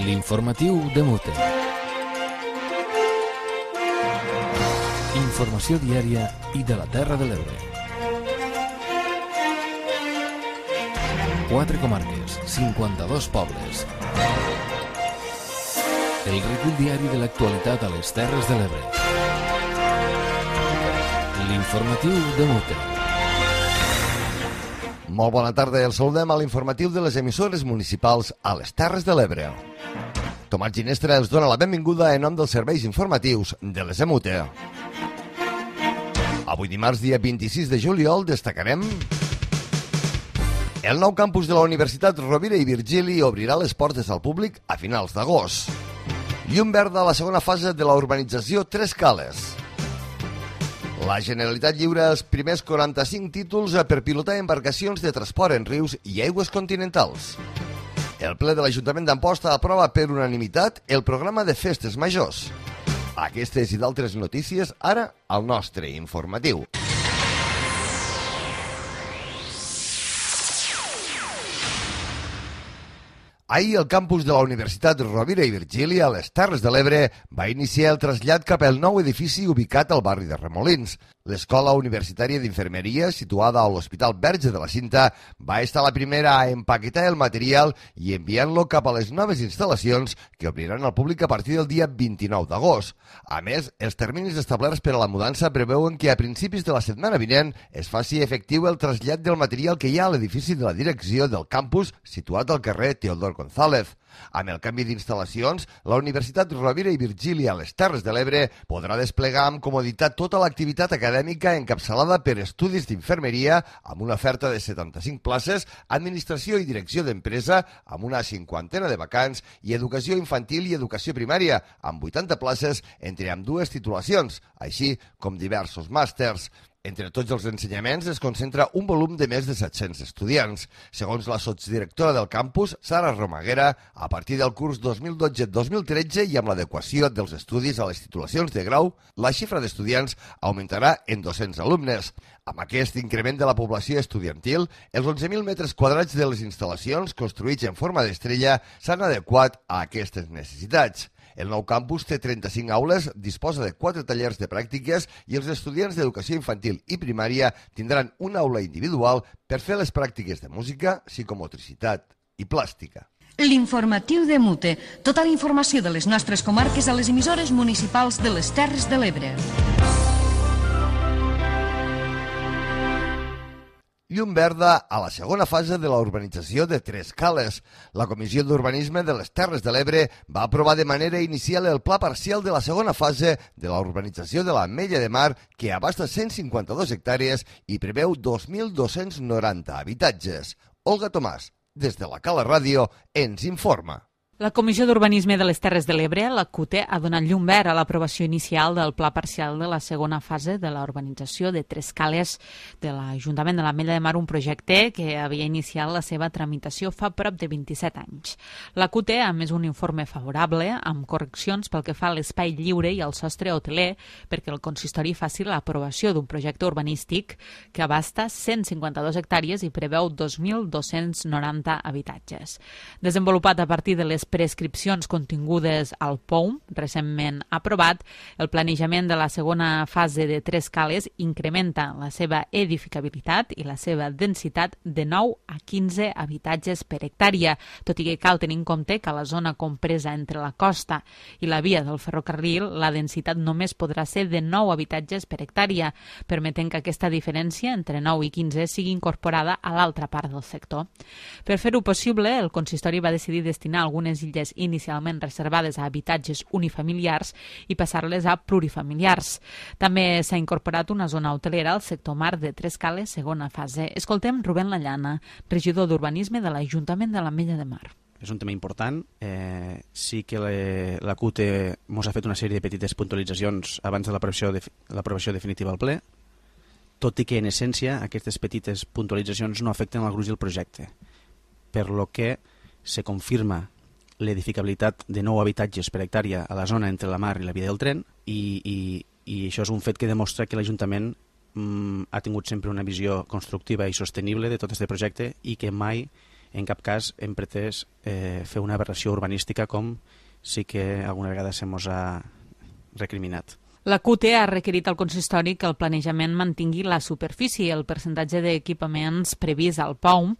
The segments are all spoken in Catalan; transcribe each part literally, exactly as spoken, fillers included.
L'informatiu de Mute. Informació diària i de la Terra de l'Ebre. Quatre comarques, cinquanta-dos pobles. El recull diari de l'actualitat a les Terres de l'Ebre. L'informatiu de Mute. Molt bona tarda, el saludem a l'informatiu de les emissores municipals a les Terres de l'Ebre. Tomàs Ginestra els dona la benvinguda en nom dels serveis informatius de les Emute. Avui dimarts, dia vint-i-sis de juliol, destacarem... El nou campus de la Universitat Rovira i Virgili obrirà les portes al públic a finals d'agost. Llum verda a la segona fase de la urbanització Tres Cales. La Generalitat lliura els primers quaranta-cinc títols per pilotar embarcacions de transport en rius i aigües continentals. El ple de l'Ajuntament d'Amposta aprova per unanimitat el programa de festes majors. Aquestes i d'altres notícies ara al nostre informatiu. Ahir el campus de la Universitat Rovira i Virgili a les Terres de l'Ebre va iniciar el trasllat cap al nou edifici ubicat al barri de Remolins. L'Escola Universitària d'Infermeria, situada a l'Hospital Verge de la Cinta, va estar la primera a empaquetar el material i enviant-lo cap a les noves instal·lacions que obriran al públic a partir del dia vint-i-nou d'agost. A més, els terminis establerts per a la mudança preveuen que a principis de la setmana vinent es faci efectiu el trasllat del material que hi ha a l'edifici de la direcció del campus situat al carrer Teodor González. Amb el canvi d'instal·lacions, la Universitat Rovira i Virgili a les Terres de l'Ebre podrà desplegar amb comoditat tota l'activitat acadèmica encapçalada per estudis d'infermeria amb una oferta de setanta-cinc places, administració i direcció d'empresa amb una cinquantena de vacants i educació infantil i educació primària amb vuitanta places entre ambdues titulacions, així com diversos màsters. Entre tots els ensenyaments es concentra un volum de més de set-cents estudiants. Segons la sotsdirectora del campus, Sara Romaguera, a partir del curs dos mil dotze dos mil tretze i amb l'adequació dels estudis a les titulacions de grau, la xifra d'estudiants augmentarà en dos-cents alumnes. Amb aquest increment de la població estudiantil, els onze mil metres quadrats de les instal·lacions construïts en forma d'estrella s'han adequat a aquestes necessitats. El nou campus té trenta-cinc aules, disposa de quatre tallers de pràctiques i els estudiants d'educació infantil i primària tindran una aula individual per fer les pràctiques de música, psicomotricitat i plàstica. L'informatiu de Mute. Tota la informació de les nostres comarques a les emissores municipals de les Terres de l'Ebre. Llum verda a la segona fase de la urbanització de Tres Cales. La Comissió d'Urbanisme de les Terres de l'Ebre va aprovar de manera inicial el pla parcial de la segona fase de la urbanització de l'Ametlla de Mar, que abasta cent cinquanta-dos hectàrees i preveu dos mil dos-cents noranta habitatges. Olga Tomàs, des de la Cala Ràdio, ens informa. La Comissió d'Urbanisme de les Terres de l'Ebre, la C U T E, ha donat llum verd a l'aprovació inicial del pla parcial de la segona fase de la urbanització de Tres Cales de l'Ajuntament de l'Ametlla de Mar, un projecte que havia iniciat la seva tramitació fa prop de vint-i-set anys. La C U T E ha emès un informe favorable amb correccions pel que fa a l'espai lliure i al sostre hoteler perquè el consistori faci l'aprovació d'un projecte urbanístic que abasta cent cinquanta-dos hectàrees i preveu dos mil dos-cents noranta habitatges. Desenvolupat a partir de les prescripcions contingudes al P O U M, recentment aprovat, el planejament de la segona fase de Tres Cales incrementa la seva edificabilitat i la seva densitat de nou a quinze habitatges per hectàrea, tot i que cal tenir en compte que a la zona compresa entre la costa i la via del ferrocarril la densitat només podrà ser de nou habitatges per hectàrea, permetent que aquesta diferència entre nou i quinze sigui incorporada a l'altra part del sector. Per fer-ho possible, el consistori va decidir destinar algunes illes inicialment reservades a habitatges unifamiliars i passar-les a plurifamiliars. També s'ha incorporat una zona hotelera al sector mar de Tres Cales, segona fase. Escoltem Rubén Lallana, regidor d'Urbanisme de l'Ajuntament de l'Ametlla de Mar. És un tema important. Eh, sí que le, la C U T E ens ha fet una sèrie de petites puntualitzacions abans de l'aprovació de, l'aprovació definitiva al ple, tot i que en essència aquestes petites puntualitzacions no afecten el gruix del projecte, per lo que se confirma l'edificabilitat de nou habitatges per hectàrea a la zona entre la mar i la via del tren i, i, i això és un fet que demostra que l'Ajuntament mm, ha tingut sempre una visió constructiva i sostenible de tot aquest projecte i que mai En cap cas hem pretès eh, fer una aberració urbanística com sí que alguna vegada se mos ha recriminat. La C U T E ha requerit al consistori que el planejament mantingui la superfície i el percentatge d'equipaments previst al P O U M,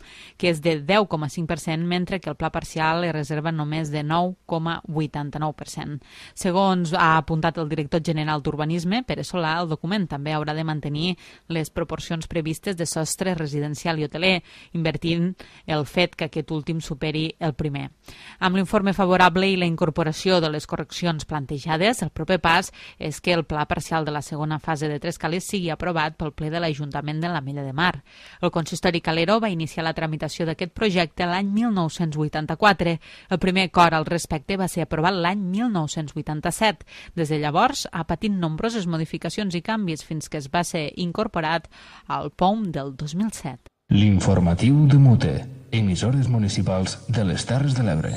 que és de deu coma cinc per cent, mentre que el pla parcial es reserva només de nou coma vuitanta-nou per cent. Segons ha apuntat el director general d'Urbanisme, Pere Solà, el document també haurà de mantenir les proporcions previstes de sostre residencial i hoteler, invertint el fet que aquest últim superi el primer. Amb l'informe favorable i la incorporació de les correccions plantejades, el proper pas és que el pla parcial de la segona fase de Tres Cales sigui aprovat pel ple de l'Ajuntament de l'Ametlla de Mar. El consistori calero va iniciar la tramitació d'aquest projecte l'any mil nou-cents vuitanta-quatre. El primer acord al respecte va ser aprovat l'any mil nou-cents vuitanta-set. Des de llavors ha patit nombroses modificacions i canvis fins que es va ser incorporat al P O U M del dos mil set. L'informatiu de Mute, emissores municipals de les Terres de l'Ebre.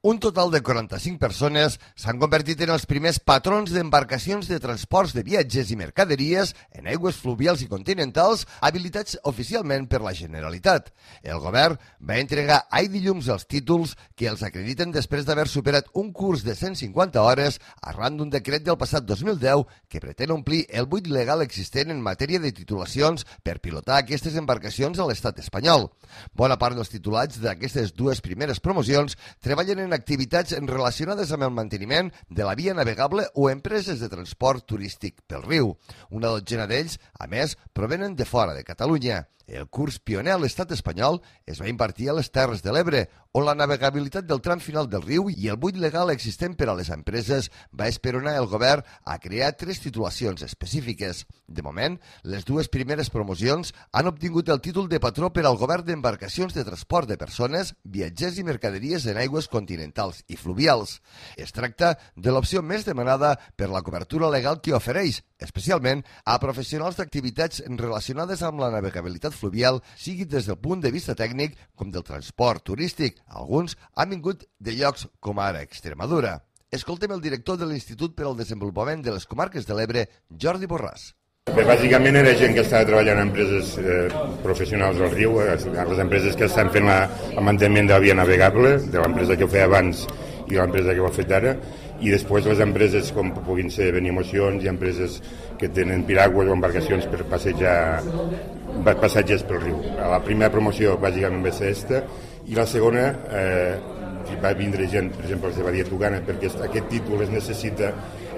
Un total de quaranta-cinc persones s'han convertit en els primers patrons d'embarcacions de transports de viatgers i mercaderies en aigües fluvials i continentals habilitats oficialment per la Generalitat. El govern va entregar ahir dilluns els títols que els acrediten després d'haver superat un curs de cent cinquanta hores arran d'un decret del passat dos mil deu que pretén omplir el buit legal existent en matèria de titulacions per pilotar aquestes embarcacions a l'estat espanyol. Bona part dels titulats d'aquestes dues primeres promocions treballen en activitats relacionades amb el manteniment de la via navegable o empreses de transport turístic pel riu. Una dotzena d'ells, a més, provenen de fora de Catalunya. El curs pioner a l'estat espanyol es va impartir a les Terres de l'Ebre, on la navegabilitat del tram final del riu i el buit legal existent per a les empreses va esperonar el govern a crear tres titulacions específiques. De moment, les dues primeres promocions han obtingut el títol de patró per al govern d'embarcacions de transport de persones, viatgers i mercaderies en aigües continentals i fluvials. Es tracta de l'opció més demanada per la cobertura legal que ofereix, especialment a professionals d'activitats relacionades amb la navegabilitat fluvial, sigui des del punt de vista tècnic com del transport turístic. Alguns han vingut de llocs com ara Extremadura. Escoltem el director de l'Institut per al Desenvolupament de les Comarques de l'Ebre, Jordi Borràs. Bé, bàsicament era gent que estava treballant en empreses eh, professionals del riu, eh, les empreses que estan fent la, el manteniment de la via navegable, de l'empresa que ho feia abans i l'empresa que ho ha fet ara, i després les empreses com puguin ser Benimocions i empreses que tenen piragües o embarcacions per passejar passatges pel riu. La primera promoció bàsicament va ser aquesta i la segona eh, va vindre gent, per exemple, de Badia Tugana, perquè aquest títol es necessita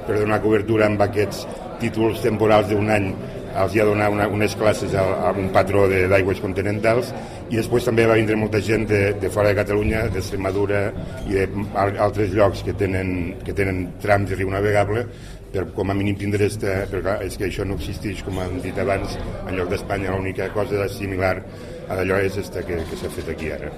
per donar cobertura amb aquests títols temporals d'un any. Els hi ha donat una, unes classes a, a un patró d'aigües continentals i després també va vindre molta gent de, de fora de Catalunya, d'Extremadura i d'altres llocs que tenen, que tenen trams de riu navegable per com a mínim tindre esta, perquè és que això no existeix, com hem dit abans, en lloc d'Espanya l'única cosa similar a d'allò és esta que, que s'ha fet aquí ara.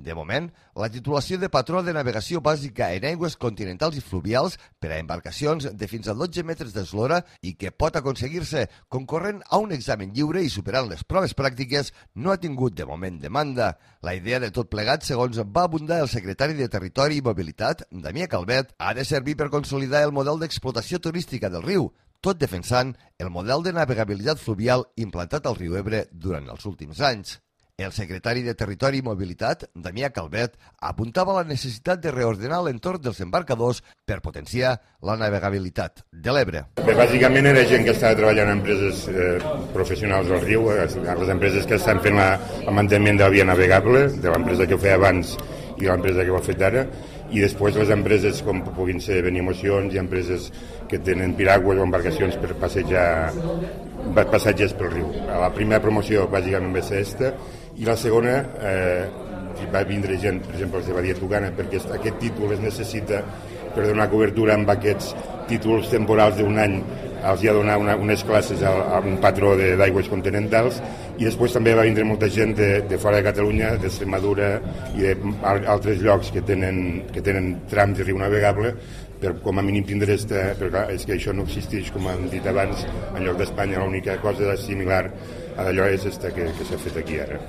De moment, la titulació de patró de navegació bàsica en aigües continentals i fluvials per a embarcacions de fins a dotze metres d'eslora i que pot aconseguir-se concorrent a un examen lliure i superant les proves pràctiques no ha tingut de moment demanda. La idea de tot plegat, segons va abundar el secretari de Territori i Mobilitat, Damià Calvet, ha de servir per consolidar el model d'explotació turística del riu, tot defensant el model de navegabilitat fluvial implantat al riu Ebre durant els últims anys. El secretari de Territori i Mobilitat, Damià Calvet, apuntava la necessitat de reordenar l'entorn dels embarcadors per potenciar la navegabilitat de l'Ebre. Bé, bàsicament era gent que estava treballant en empreses eh, professionals del riu, les empreses que estan fent la, el manteniment de la via navegable, de l'empresa que ho feia abans i l'empresa que ho ha fet ara, i després les empreses com puguin ser Benimocions i empreses que tenen piragües o embarcacions per passejar passatges pel riu. La primera promoció bàsicament va ser aquesta i la segona eh, va vindre gent, per exemple, de Badia Tugana, perquè aquest títol es necessita per donar cobertura amb aquests títols temporals d'un any. Els hi ha donat una, unes classes a, a un patró d'aigües continentals i després també va vindre molta gent de, de fora de Catalunya, d'Extremadura i d'altres llocs que tenen, que tenen trams de riu navegable per com a mínim tindre esta, perquè és que això no existeix, com hem dit abans, en lloc d'Espanya l'única cosa similar a d'allò és esta que, que s'ha fet aquí ara.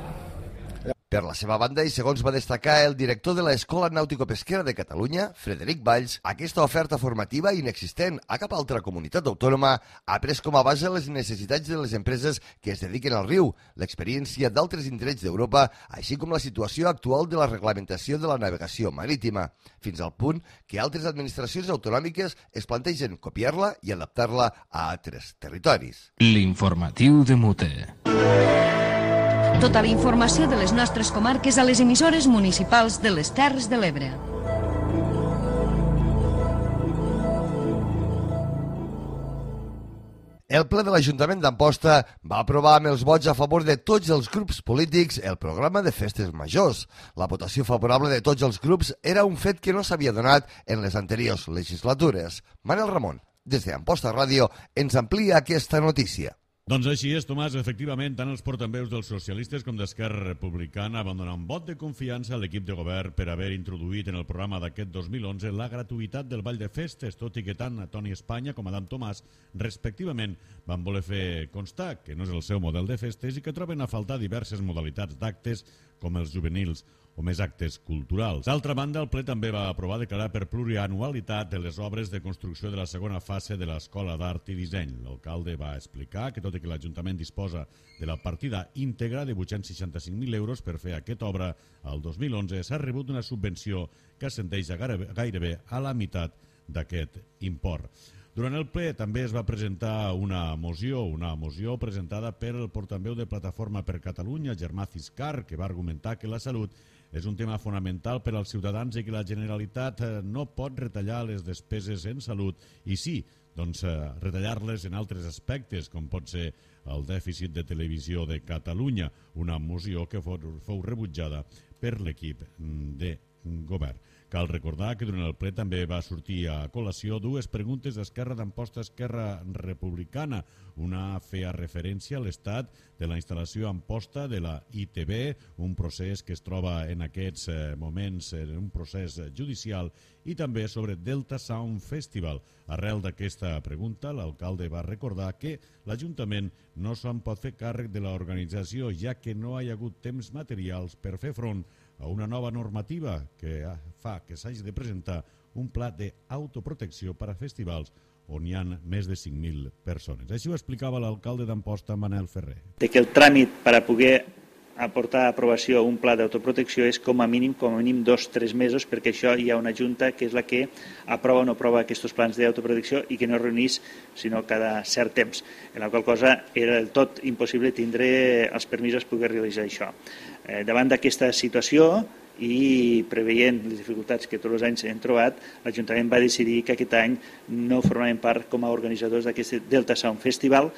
Per la seva banda, i segons va destacar el director de l'Escola Nàutico-Pesquera de Catalunya, Frederic Valls, aquesta oferta formativa inexistent a cap altra comunitat autònoma ha pres com a base les necessitats de les empreses que es dediquen al riu, l'experiència d'altres indrets d'Europa, així com la situació actual de la reglamentació de la navegació marítima, fins al punt que altres administracions autonòmiques es plantegen copiar-la i adaptar-la a altres territoris. L'informatiu de Mute. Tota la informació de les nostres comarques a les emissores municipals de les Terres de l'Ebre. El ple de l'Ajuntament d'Amposta va aprovar amb els vots a favor de tots els grups polítics el programa de festes majors. La votació favorable de tots els grups era un fet que no s'havia donat en les anteriors legislatures. Manel Ramon, des d'Amposta Ràdio, ens amplia aquesta notícia. Doncs així és, Tomàs. Efectivament, tant els portaveus dels socialistes com d'Esquerra Republicana van donar un vot de confiança a l'equip de govern per haver introduït en el programa d'aquest dos mil onze la gratuïtat del ball de festes, tot i que tant Toni Espanya com Adam Tomàs, respectivament, van voler fer constar que no és el seu model de festes i que troben a faltar diverses modalitats d'actes com els juvenils o més actes culturals. D'altra banda, el ple també va aprovar declarar per plurianualitat de les obres de construcció de la segona fase de l'Escola d'Art i Disseny. L'alcalde va explicar que tot i que l'Ajuntament disposa de la partida íntegra de vuit-cents seixanta-cinc mil euros per fer aquesta obra al dos mil onze, s'ha rebut una subvenció que ascendeix a gairebé a la meitat d'aquest import. Durant el ple també es va presentar una moció, una moció presentada per el portaveu de Plataforma per Catalunya, Germà Ciscar, que va argumentar que la salut és un tema fonamental per als ciutadans i que la Generalitat no pot retallar les despeses en salut i sí, doncs retallar-les en altres aspectes, com pot ser el dèficit de televisió de Catalunya, una moció que fou rebutjada per l'equip de govern. Cal recordar que durant el ple també va sortir a col·lació dues preguntes d'Esquerra d'Amposta Esquerra Republicana. Una feia referència a l'estat de la instal·lació a Amposta de la I T B, un procés que es troba en aquests moments en un procés judicial, i també sobre Delta Sound Festival. Arrel d'aquesta pregunta, l'alcalde va recordar que l'Ajuntament no se'n pot fer càrrec de l'organització, ja que no hi ha hagut temps materials per fer front a una nova normativa que fa que s'hagi de presentar un pla d'autoprotecció per a festivals on hi ha més de cinc mil persones. Així ho explicava l'alcalde d'Amposta, Manel Ferrer. De que el tràmit per a poder aportar a aprovació un pla d'autoprotecció és com a mínim com a mínim dos o tres mesos, perquè això hi ha una junta que és la que aprova o no aprova aquests plans d'autoprotecció i que no es reunís sinó cada cert temps, en la qual cosa era del tot impossible tindre els permisos per poder realitzar això. Eh, davant d'aquesta situació i preveient les dificultats que tots els anys hem trobat, l'Ajuntament va decidir que aquest any no formaven part com a organitzadors d'aquest Delta Sound Festival,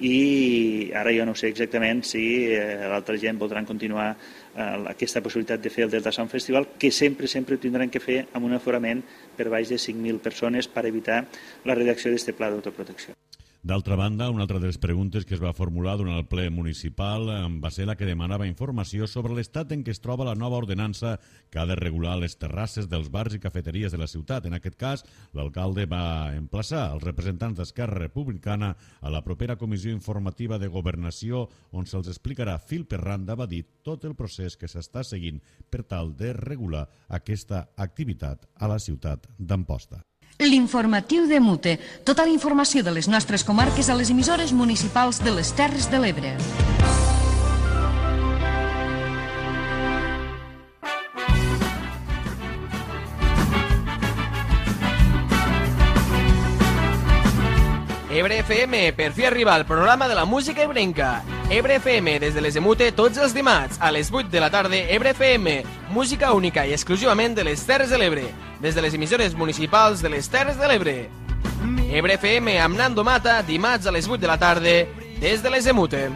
i ara jo no sé exactament si eh, l'altra gent voldran continuar eh, aquesta possibilitat de fer el Delta Sound Festival, que sempre, sempre tindran que fer amb un aforament per baix de cinc mil persones per evitar la redacció d'aquest pla d'autoprotecció. D'altra banda, una altra de les preguntes que es va formular durant el ple municipal va ser la que demanava informació sobre l'estat en què es troba la nova ordenança que ha de regular les terrasses dels bars i cafeteries de la ciutat. En aquest cas, l'alcalde va emplaçar els representants d'Esquerra Republicana a la propera comissió informativa de governació, on se'ls explicarà fil per randa, va dir, tot el procés que s'està seguint per tal de regular aquesta activitat a la ciutat d'Amposta. L'informatiu de Mute. Tota la informació de les nostres comarques a les emissores municipals de les Terres de l'Ebre. Ebre F M, per fi arriba el programa de la música ebrenca. Ebre F M, des de les de Mute, tots els dimarts, a les vuit de la tarda, Ebre F M, música única i exclusivament de les Terres de l'Ebre, des de les emissores municipals de les Terres de l'Ebre. Ebre F M amb Nando Mata, dimarts a les vuit de la tarda, des de les de Mute.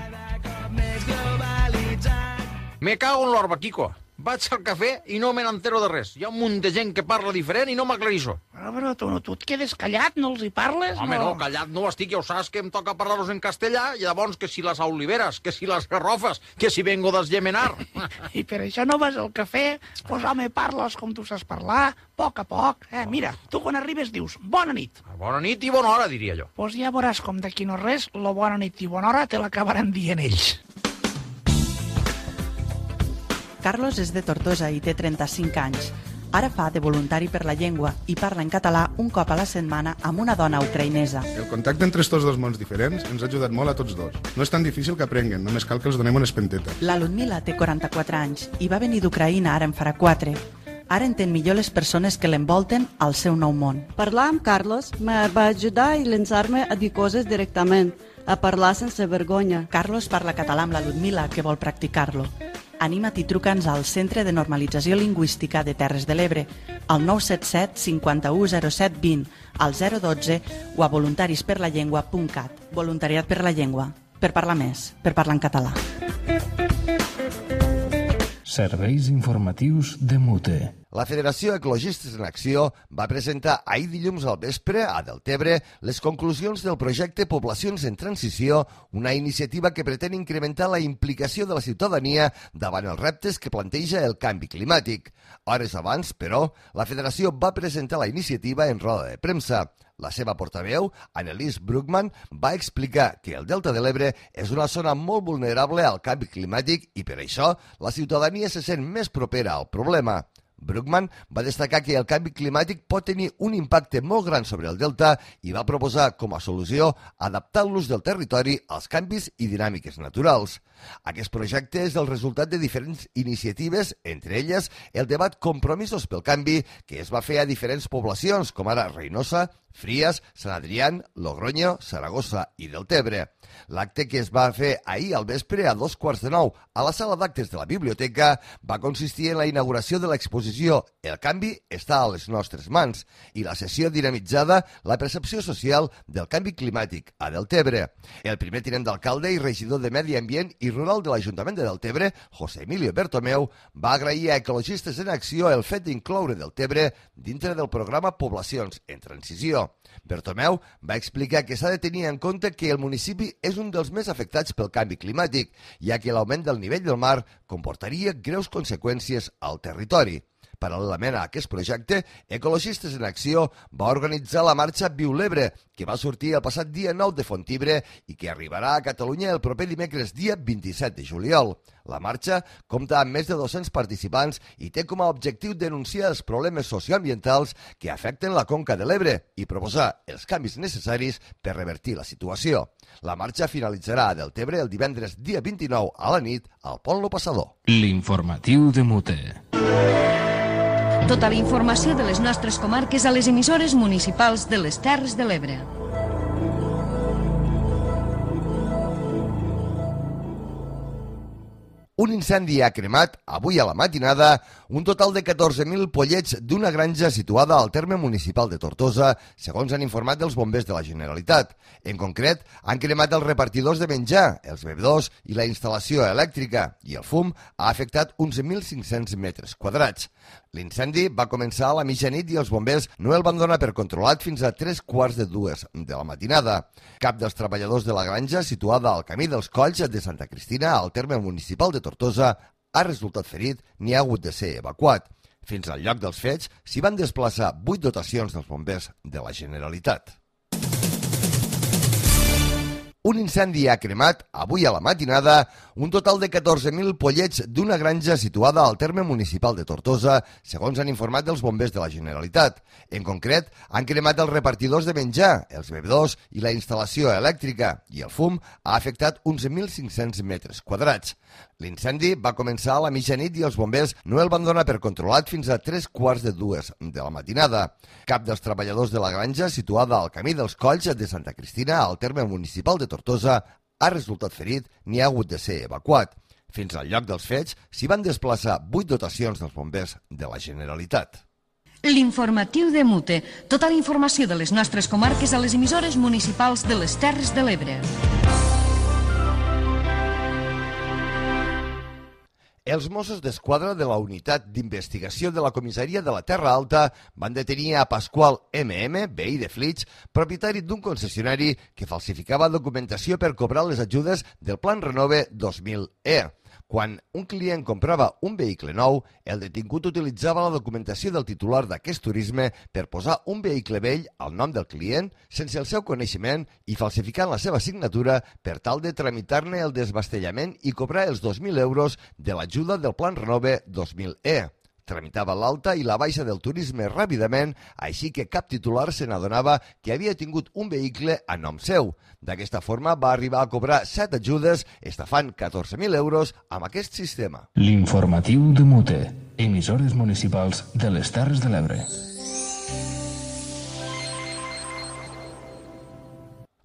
Me cago en l'orba, Kiko. Vaig al cafè i no me n'entero de res. Hi ha un munt de gent que parla diferent i no m'aclarissó. Però, però tu, no, tu et quedes callat, no els hi parles? Home, no, no callat no estic, ja ho saps que em toca parlar-los en castellà, i llavors que si les oliveres, que si les garrofes, que si vengo d'esgemenar. I per això no vas al cafè? Pues home, parles com tu saps parlar, a poc a poc. Eh, mira, tu quan arribes dius, bona nit. Bona nit i bona hora, diria jo. Pues ja veuràs com d'aquí no res, la bona nit i bona hora te l'acabaran dient ells. Carlos és de Tortosa i té trenta-cinc anys. Ara fa de voluntari per la llengua i parla en català un cop a la setmana amb una dona ucraïnesa. El contacte entre estos dos mons diferents ens ha ajudat molt a tots dos. No és tan difícil que aprenguen, només cal que els donem una espenteta. La Ludmila té quaranta-quatre anys i va venir d'Ucraïna ara en farà quatre. Ara entén millor les persones que l'envolten al seu nou món. Parlar amb Carlos me va ajudar a llançar-me a dir coses directament, a parlar sense vergonya. Carlos parla català amb la Ludmila, que vol practicar-lo. Anima't i truca'ns al Centre de Normalització Lingüística de Terres de l'Ebre, al nou set set cinquanta-u zero set vint, al zero dotze o a voluntarisperlallengua punt cat. Voluntariat per la llengua. Per parlar més, per parlar en català. Serveis informatius de Mute. La Federació Ecologistes en Acció va presentar ahir dilluns al vespre a Deltebre les conclusions del projecte Poblacions en Transició, una iniciativa que pretén incrementar la implicació de la ciutadania davant els reptes que planteja el canvi climàtic. Hores abans, però, la Federació va presentar la iniciativa en roda de premsa. La seva portaveu, Annelies Bruckmann, va explicar que el Delta de l'Ebre és una zona molt vulnerable al canvi climàtic i per això la ciutadania se sent més propera al problema. Bruckmann va destacar que el canvi climàtic pot tenir un impacte molt gran sobre el delta i va proposar com a solució adaptar l'ús del territori als canvis i dinàmiques naturals. Aquest projecte és el resultat de diferents iniciatives, entre elles el debat Compromisos pel Canvi, que es va fer a diferents poblacions, com ara Reinosa, Fries, Sant Adrián, Logroño, Saragossa i Deltebre. L'acte que es va fer ahir al vespre a dos quarts de nou a la sala d'actes de la biblioteca va consistir en la inauguració de l'exposició El canvi està a les nostres mans i la sessió dinamitzada La percepció social del canvi climàtic a Deltebre. El primer tinent d'alcalde i regidor de Medi Ambient i Rural de l'Ajuntament de Deltebre, José Emilio Bertomeu, va agrair a Ecologistes en Acció el fet d'incloure Deltebre dintre del programa Poblacions en Transició. Bertomeu va explicar que s'ha de tenir en compte que el municipi és un dels més afectats pel canvi climàtic, ja que l'augment del nivell del mar comportaria greus conseqüències al territori. Paral·lelament a aquest projecte, Ecologistes en Acció va organitzar la marxa Viu l'Ebre, que va sortir el passat dia nou de Fontibre i que arribarà a Catalunya el proper dimecres dia vint-i-set de juliol. La marxa compta amb més de dos-cents participants i té com a objectiu denunciar els problemes socioambientals que afecten la conca de l'Ebre i proposar els canvis necessaris per revertir la situació. La marxa finalitzarà a Deltebre el divendres dia vint-i-nou a la nit al Pont Lo Passador. L'informatiu de Mute. Tota la informació de les nostres comarques a les emissores municipals de les Terres de l'Ebre. Un incendi ha cremat, avui a la matinada, un total de catorze mil pollets d'una granja situada al terme municipal de Tortosa, segons han informat els bombers de la Generalitat. En concret, han cremat els repartidors de menjar, els bevedors i la instal·lació elèctrica, i el fum ha afectat uns mil cinc-cents metres quadrats. L'incendi va començar a la mitjanit i els bombers no el van donar per controlat fins a tres quarts de dues de la matinada. Cap dels treballadors de la granja, situada al camí dels Colls de Santa Cristina, al terme municipal de Tortosa, ha resultat ferit ni ha hagut de ser evacuat. Fins al lloc dels fets s'hi van desplaçar vuit dotacions dels bombers de la Generalitat. Un incendi ha cremat, avui a la matinada, un total de catorze mil pollets d'una granja situada al terme municipal de Tortosa, segons han informat dels bombers de la Generalitat. En concret, han cremat els repartidors de menjar, els bevedors i la instal·lació elèctrica, i el fum ha afectat uns mil cinc-cents metres quadrats. L'incendi va començar a la mitjanit i els bombers no el van donar per controlat fins a tres quarts de dues de la matinada. Cap dels treballadors de la granja, situada al camí dels Colls de Santa Cristina, al terme municipal de Tortosa, ha resultat ferit ni ha hagut de ser evacuat. Fins al lloc dels fets s'hi van desplaçar vuit dotacions dels bombers de la Generalitat. L'informatiu de Mute. Tota la informació de les nostres comarques a les emissores municipals de les Terres de l'Ebre. Els Mossos d'Esquadra de la Unitat d'Investigació de la Comissaria de la Terra Alta van detenir a Pasqual eme eme, veí de Flix, propietari d'un concessionari que falsificava documentació per cobrar les ajudes del Plan Renove dos mil E. Quan un client comprava un vehicle nou, el detingut utilitzava la documentació del titular d'aquest turisme per posar un vehicle vell al nom del client sense el seu coneixement i falsificant la seva signatura per tal de tramitar-ne el desbastellament i cobrar els dos mil euros de l'ajuda del Plan Renove dos mil E. Tramitava l'alta i la baixa del turisme ràpidament, així que cap titular se n'adonava que havia tingut un vehicle a nom seu. D'aquesta forma va arribar a cobrar set ajudes, estafant catorze mil euros amb aquest sistema. L'informatiu de Mute, emissores municipals de les Terres de l'Ebre.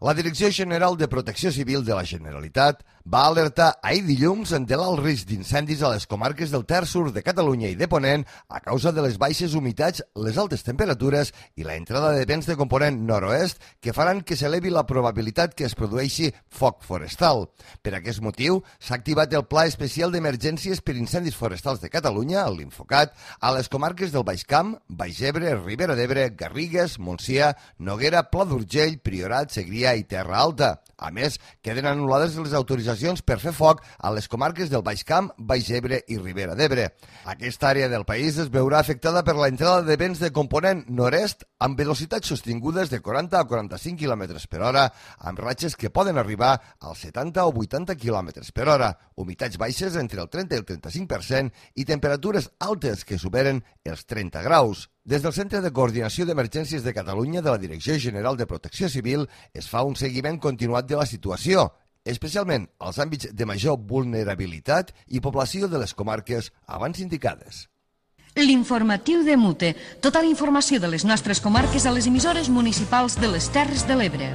La Direcció General de Protecció Civil de la Generalitat va alertar ahir dilluns de l'alt risc d'incendis a les comarques del Ter Sur de Catalunya i de Ponent a causa de les baixes humitats, les altes temperatures i la entrada de vents de component nord-oest que faran que s'elevi la probabilitat que es produeixi foc forestal. Per aquest motiu, s'ha activat el Pla Especial d'Emergències per Incendis Forestals de Catalunya, l'Infocat, a les comarques del Baix Camp, Baix Ebre, Ribera d'Ebre, Garrigues, Montsià, Noguera, Pla d'Urgell, Priorat, Segrià i Terra Alta. A més, queden anul·lades les autoritzacions per fer foc a les comarques del Baix Camp, Baix Ebre i Ribera d'Ebre. Aquesta àrea del país es veurà afectada per la entrada de vents de component nord-est amb velocitats sostingudes de quaranta a quaranta-cinc quilòmetres per hora, amb ratxes que poden arribar als setanta o vuitanta quilòmetres per hora, humitats baixes entre el trenta i el trenta-cinc per cent i temperatures altes que superen els trenta graus. Des del Centre de Coordinació d'Emergències de Catalunya de la Direcció General de Protecció Civil es fa un seguiment continuat de la situació, especialment als àmbits de major vulnerabilitat i població de les comarques abans indicades. L'informatiu de Mute. Tota la informació de les nostres comarques a les emissores municipals de les Terres de l'Ebre.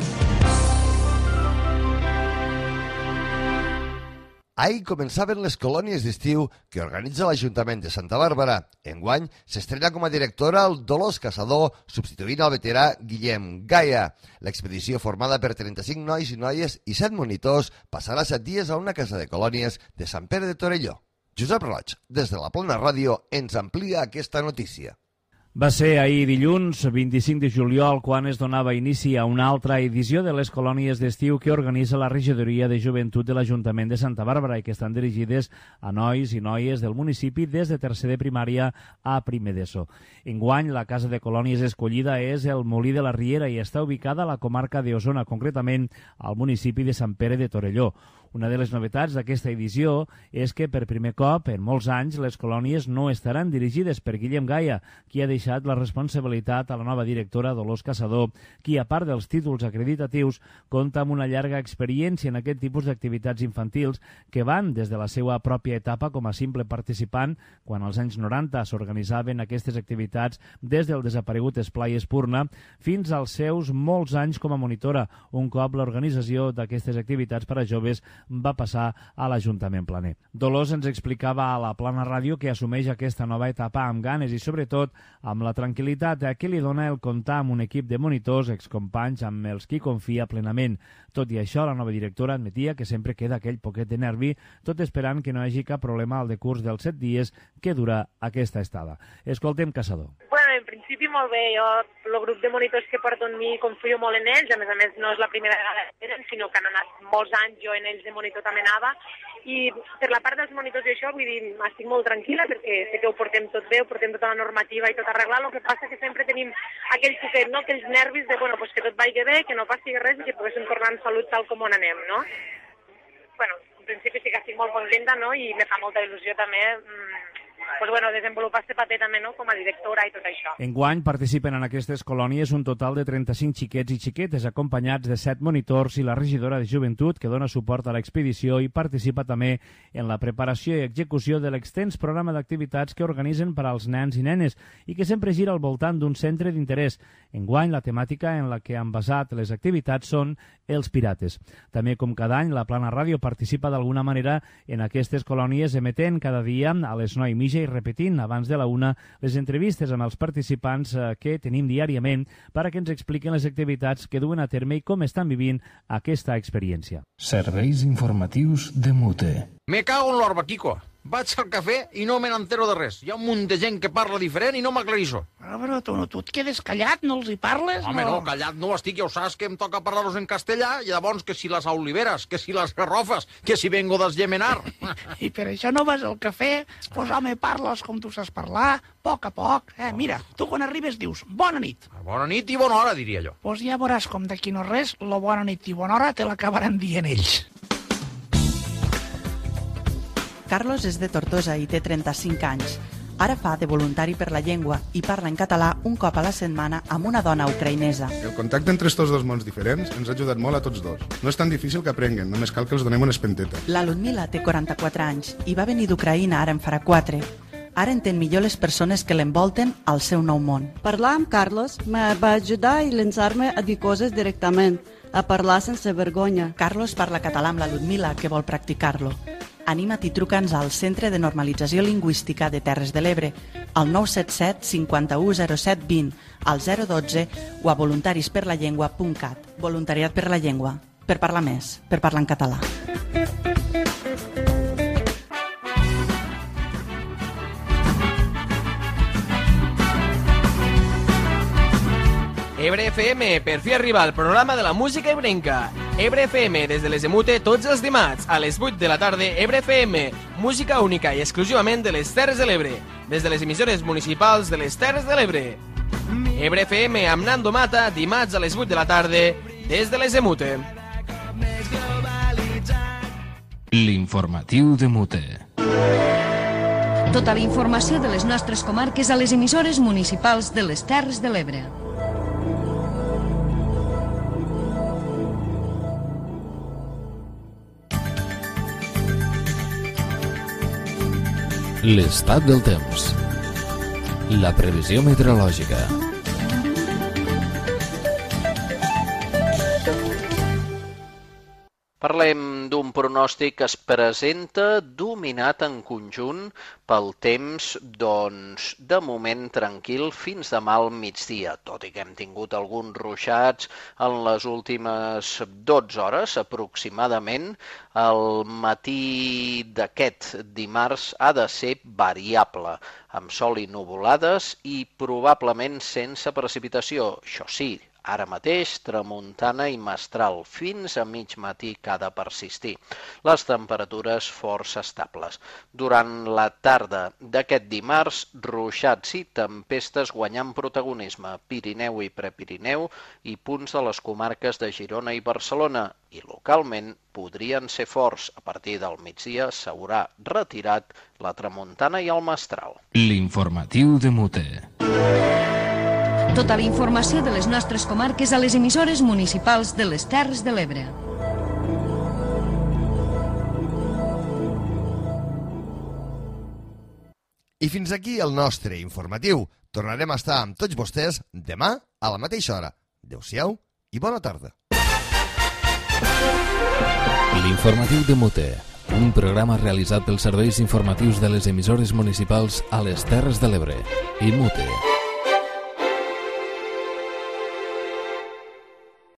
Ahir començaven les colònies d'estiu que organitza l'Ajuntament de Santa Bàrbara. Enguany s'estrena com a directora el Dolors Caçador, substituint el veterà Guillem Gaia. L'expedició, formada per trenta-cinc nois i noies i set monitors, passarà set dies a una casa de colònies de Sant Pere de Torelló. Josep Roig, des de la Plana Ràdio, ens amplia aquesta notícia. Va ser ahir dilluns, vint-i-cinc de juliol, quan es donava inici a una altra edició de les colònies d'estiu que organitza la Regidoria de Joventut de l'Ajuntament de Santa Bàrbara i que estan dirigides a nois i noies del municipi des de tercer de primària a primer d'ESO. Enguany, la casa de colònies escollida és el Molí de la Riera i està ubicada a la comarca d'Osona, concretament al municipi de Sant Pere de Torelló. Una de les novetats d'aquesta edició és que per primer cop en molts anys les colònies no estaran dirigides per Guillem Gaia, qui ha deixat la responsabilitat a la nova directora Dolors Caçador, qui a part dels títols acreditatius compta amb una llarga experiència en aquest tipus d'activitats infantils que van des de la seva pròpia etapa com a simple participant, quan als anys noranta s'organitzaven aquestes activitats des del desaparegut Esplai Espurna, fins als seus molts anys com a monitora, un cop l'organització d'aquestes activitats per a joves va passar a l'Ajuntament planer. Dolors ens explicava a la Plana Ràdio que assumeix aquesta nova etapa amb ganes i, sobretot, amb la tranquil·litat que li dona el comptar amb un equip de monitors, excompanys amb els qui confia plenament. Tot i això, la nova directora admetia que sempre queda aquell poquet de nervi, tot esperant que no hi hagi cap problema al decurs dels set dies que dura aquesta estada. Escoltem Caçador. Bueno, en principi molt bé. Jo, el grup de monitors que porto en mi, confio molt en ells. A més a més, no és la primera vegada que tenen, sinó que han anat molts anys, jo en ells de monitor també anava. I per la part dels monitors i això, vull dir, estic molt tranquil·la perquè sé que ho portem tot bé, ho portem tota la normativa i tot arreglat. El que passa que sempre tenim aquell poquet, no?, aquells nervis de, bueno, pues que tot vagi bé, que no passi res i que poguéssim tornar en salut tal com on anem, no? Bueno, en principi sí que estic molt contenta, no?, i me fa molta il·lusió també mmm, pues bueno, desenvolupar este paper també, no?, com a directora i tot això. Enguany participen en aquestes colònies un total de trenta-cinc xiquets i xiquetes acompanyats de set monitors i la regidora de Joventut que dona suport a l'expedició i participa també en la preparació i execució de l'extens programa d'activitats que organitzen per als nens i nenes i que sempre gira al voltant d'un centre d'interès. Enguany la temàtica en la que han basat les activitats són els pirates. També, com cada any, la Plana Ràdio participa d'alguna manera en aquestes colònies emetent cada dia a les nou i mitja i repetint abans de la una les entrevistes amb els participants que tenim diàriament per a que ens expliquen les activitats que duen a terme i com estan vivint aquesta experiència. Serveis informatius de Mute. Me cago en l'orba, Quico. Vaig al cafè i no me n'entero de res. Hi ha un munt de gent que parla diferent i no m'aclarisso. Però, però tu, no, tu et quedes callat, no els hi parles? Home, no, callat no estic, ja ho saps que em toca parlar-los en castellà, i llavors que si les oliveres, que si les garrofes, que si vengo d'esgemenar. I per això no vas al cafè? Pues, home, parles com tu saps parlar, a poc a poc. Eh, mira, tu quan arribes dius, bona nit. Bona nit i bona hora, diria jo. Pues ja veuràs com d'aquí no res, lo bona nit i bona hora te l'acabaran dient ells. Carlos és de Tortosa i té trenta-cinc anys. Ara fa de voluntari per la llengua i parla en català un cop a la setmana amb una dona ucraïnesa. El contacte entre estos dos mons diferents ens ha ajudat molt a tots dos. No és tan difícil que aprenguen, només cal que els donem una espenteta. La Ludmila té quaranta-quatre anys i va venir d'Ucraïna ara en farà quatre. Ara entén millor les persones que l'envolten al seu nou món. Parlar amb Carlos me va ajudar i llançar-me a dir coses directament, a parlar sense vergonya. Carlos parla català amb la Ludmila, que vol practicar-lo. Anima't i truca'ns al Centre de Normalització Lingüística de Terres de l'Ebre, al nou set set cinquanta-u zero set vint, al zero dotze o a voluntarisperlallengua punt cat. Voluntariat per la llengua, per parlar més, per parlar en català. Ebre F M, per fi arriba el programa de la música ebrenca. Ebre F M, des de les Emute, tots els dimarts, a les vuit de la tarda, Ebre F M, música única i exclusivament de les Terres de l'Ebre, des de les emissores municipals de les Terres de l'Ebre. Ebre F M amb Nando Mata, dimarts a les vuit de la tarda, des de les Emute. L'informatiu de Mute. Tota la informació de les nostres comarques a les emissores municipals de les Terres de l'Ebre. L'estat del temps. La previsió meteorològica. Parlem d'un pronòstic que es presenta dominat en conjunt pel temps, doncs, de moment tranquil fins demà al migdia, tot i que hem tingut alguns ruixats en les últimes dotze hores aproximadament. El matí d'aquest dimarts ha de ser variable, amb sol i nuvolades i probablement sense precipitació, això sí, ara mateix, tramuntana i mestral, fins a mig matí que ha de persistir. Les temperatures força estables. Durant la tarda d'aquest dimarts, ruixats i tempestes guanyant protagonisme, Pirineu i Prepirineu i punts de les comarques de Girona i Barcelona, i localment podrien ser forts. A partir del migdia s'haurà retirat la tramuntana i el mestral. L'informatiu de Mute. Tota la informació de les nostres comarques a les emissores municipals de les Terres de l'Ebre. I fins aquí el nostre informatiu. Tornarem a estar amb tots vostès demà a la mateixa hora. Adéu-siau i bona tarda. L'informatiu de Mute, un programa realitzat pels serveis informatius de les emissores municipals a les Terres de l'Ebre i Mute.